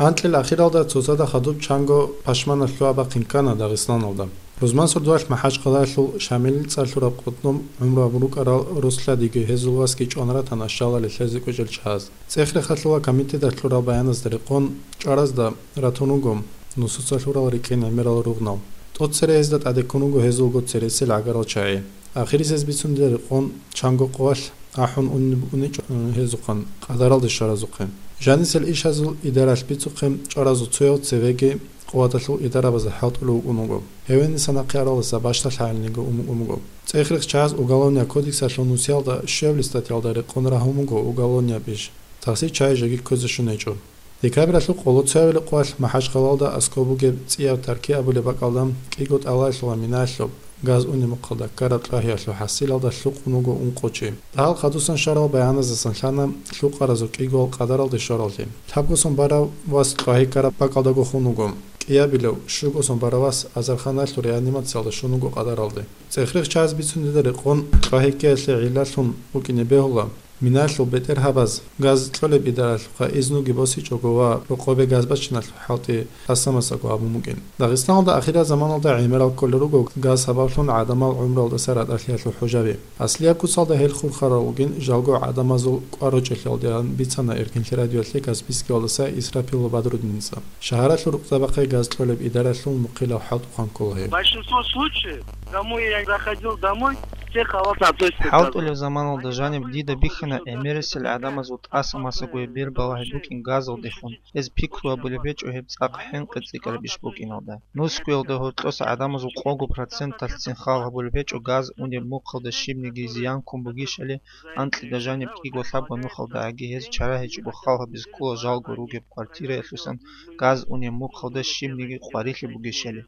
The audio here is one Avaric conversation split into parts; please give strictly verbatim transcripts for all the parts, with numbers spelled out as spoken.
Анкьил ахиралда цоцазда хадуб чанго пашманалъуа бахъин ккана Дагъистаналда. Рузман сордоялъ МахӀачхъалаялъул Шамилил цӀар лъураб къотӀноб гӀумру абун рукӀарал Руслъадиги гьезул васги чӀван ратана щалалде лъезе кӀвечӀел чагьаз. ЦӀех-рехалъула комитеталъ лъурал баяназда рекъон, чӀваразда ратун руго нусуца лъурал рикӀкӀин гӀемерал ругънал. ТӀоцере гьезда тӀаде ккун руго гьезулго цересел гӀагарал чагӀи. Ахирисез бицунде рекъон, чанго къоялъ ахӀун унеб-, уничӀо гьезухъан къадаралде щваразухъе. Жанисел ишазул идаралъ бицухъе чӀваразул цояв цевеги къуваталъул идарабазда хӀалтӀулев вукӀун вуго. Гьеве нилъ нахъе аралдаса бащдалъ гьайилниги ун-, ун вуго. ЦӀех-рех чагьаз Уголовный кодексалъул нусиялда щуабилеб статьялда рекъон рагьун буго уголовнияб иш. Тахсир чагьи жеги кквезе щун гьечӀо. Декабралъул къоло цоябилеб къоялъ МахӀачхъалаялда аскӀоб бугеб ЦӀияб Тарки абулеб бакӀалда кӀиго тӀалаялъула минаялъуб газ унеб мухъалда ккараб кьвагьиялъул хӀасилалда лъукъун вуго ункъо чи. Дагьал хадусан щварал баяназдасан лъана лъукъаразул кӀигоял къадаралде щваралде. Лъабго сон барав вас кьвагьи ккараб бакӀалдаго хун вуго. КӀиабилев, щуго сон барав вас азарханалъур реанимациялда щун вуго къадаралде. ЦӀех-рех чагьаз бицунде рекъон, кьвагьи ккеялъе гӀиллалъун букӀине бегьула, минаялъул бетӀергьабаз газ кьолеб идаралъухъа изнуги босичӀого ва рокъобе газ бачиналъул хӀалтӀи тӀаса-масаго гьабун букӀин. Дагъистаналда ахирал заманалда гӀемерал кколел руго газ сабаблъун гӀадамал гӀумруялдаса ратӀалъиялъул хӀужаби. Аслияб куцалда гьел хурхарал ругин жалго гӀадамазул кӀвар-ручӀалъиялдеян бицана Эркинлъи радиоялъе Каспийскиялдаса Исрапилов Бадруддинца. Шагьаралъул рукъзабахъе газ кьолеб идаралъул мухъилаб хӀалтӀухъан ккола гьеб. В большинство случаев, кому я заходил домой, все халатно относятся к газу. ХӀалтӀулеб заманалда жаниб дида бихьана гӀемерисел гӀадамазул тӀаса-масагояб бер балагьи букӀин газалдехун. Гьез пикру гьабулеб гьечӀо гьеб цӀакъ хӀинкъи цӀикӀкӀараб иш букӀиналда. Нусгоялда гьоркьоса гӀадамазул къого проценталъцин хал гьабулеб гьечӀо газ унеб мухъалда щибниги зиян ккун бугищали, анкьида жаниб кӀиго-лъабго нухалдагӀаги гьез чара гьечӀого хал гьабизе ккола жалго ругеб квартираялъусан газ унеб мухъалда щибниги къварилъи бугищали.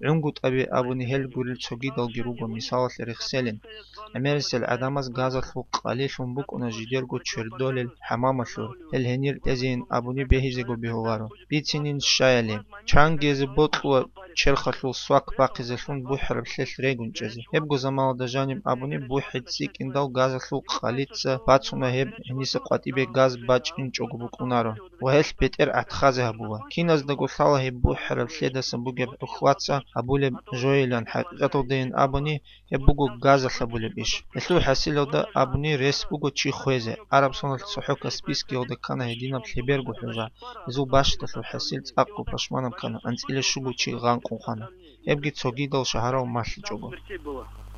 ГӀунгутӀаби абуни гьел гурел цогидалги руго мисалалъе рехселин. ГӀемерисел гӀадамаз газалъул къалилъун букӀуна жидерго чердолел хӀамамалъур, гьел гьенир тӀезейин абуни бегьизего бегьуларо. Бицинин щаяли, чангизе бокьула черхалъул свак бахъизелъун бухӀараб лъелъ регун чӀезе. Гьебго заманалда жаниб абуни бухӀи цӀикӀкӀиндал газалъул къалица бацуна гьеб гьениса къватӀибе газ бачӀинчӀого букӀунаро ва гьелъ бетӀер гӀатхазе гьабула. Киназдаго лъала гьеб бухӀараб лъедасан бугеб ухватца гьабулеб жойилан, хӀакъикъаталдайин абуни, гьеб буго газалъ гьабулеб иш. Гьелъул хӀасилалда абуни рес буго чи хвезе. Араб соналъ цохӀо Каспийскиялда ккана гьединаб лъеберго хӀужа. Гьезул бащдалъул хӀасил цӀакъго пашманаб ккана, анцӀила щуго чи гъанкъун хвана. Гьебги цогидал шагьарал малъичӀого.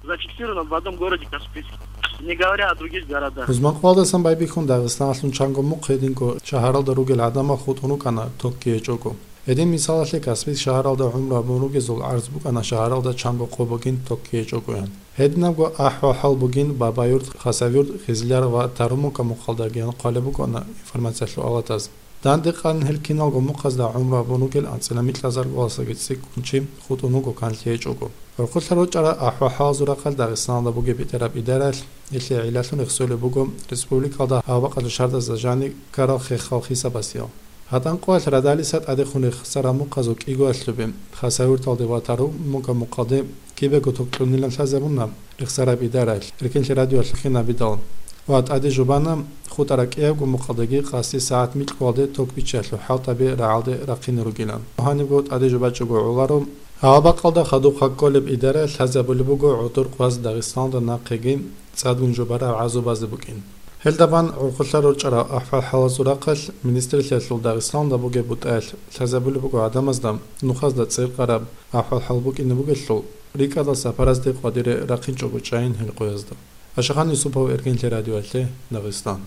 Зафиксировано в одном городе Каспийске, не говоря о других городах. Рузманкъвалдасан байбихьун Дагъистаналъун чанго мухъ гьединго шагьаралда ругел гӀадамал хутӀун рукӀана токги гьечӀого. Гьедин мисалалъе Каспийск шагьаралда гӀумру гьабун ругезул гӀарз букӀана шагьаралда чанго къо бугин токги гьечӀогоян. Гьединабго ахӀвал-хӀал бугин Бабаюрт, Хасавюрт, Хизляр ва Тарумука мухъалдагиян хъвалеб букӀана информациялъул алатаз. Данде къан гьел киналго мухъазда гӀумру гьабун ругел анцӀила микьазарго васаги цӀикӀкӀун чи хутӀун вуго канлъи гьечӀого. ГӀурхъулъа рорчӀарал ахӀвал-хӀалазул рахъалъ Дагъистаналда бугеб бетӀераб идараялъ, гьелъие гӀиллалъун рехсолеб буго республикалда гьаб бакӀалда шардазда жаниб ккарал хехал хисабасиял. ГьатӀан къоялъ радалиса тӀадехун рехсараб мухъазул кӀигоялъубе, Хасавюрталде ва Тарумука мухъалде кибего ток кьунилан лъазабуна рехсараб идараялъ, Эркинлъи радиоялъ хинабидал. Ва тӀаде жубана хутӀараб кӀиябго мухъалдаги къаси сагӀат микьгоялде ток биччаялъул хӀалтӀаби рагӀалде рахъине ругилан. Гьанибго тӀаде жубачӀого гӀоларо. Гьаб бакӀалда хадуб хъакколеб идара лъазабулеб буго гӀодор къваз Дагъистаналда нахъеги цӀадгун жубараб гӀазабазе букӀин. Гьелда бан гӀурхъулъа рорчӀарал ахӀвал-хӀалазул рахъалъ министралъиялъул Дагъистаналда бугеб бутӀаялъ лъазабулеб буго гӀадамазда нухазда цӀеркъараб ахӀвал-хӀал букӀине бугелъул, рикӀкӀадал сапаразде къвадире рахъинчӀого чӀайин гьел къоязда. Ашахан Юсупов, Эркинлъи радиоялъе, Дагъистан.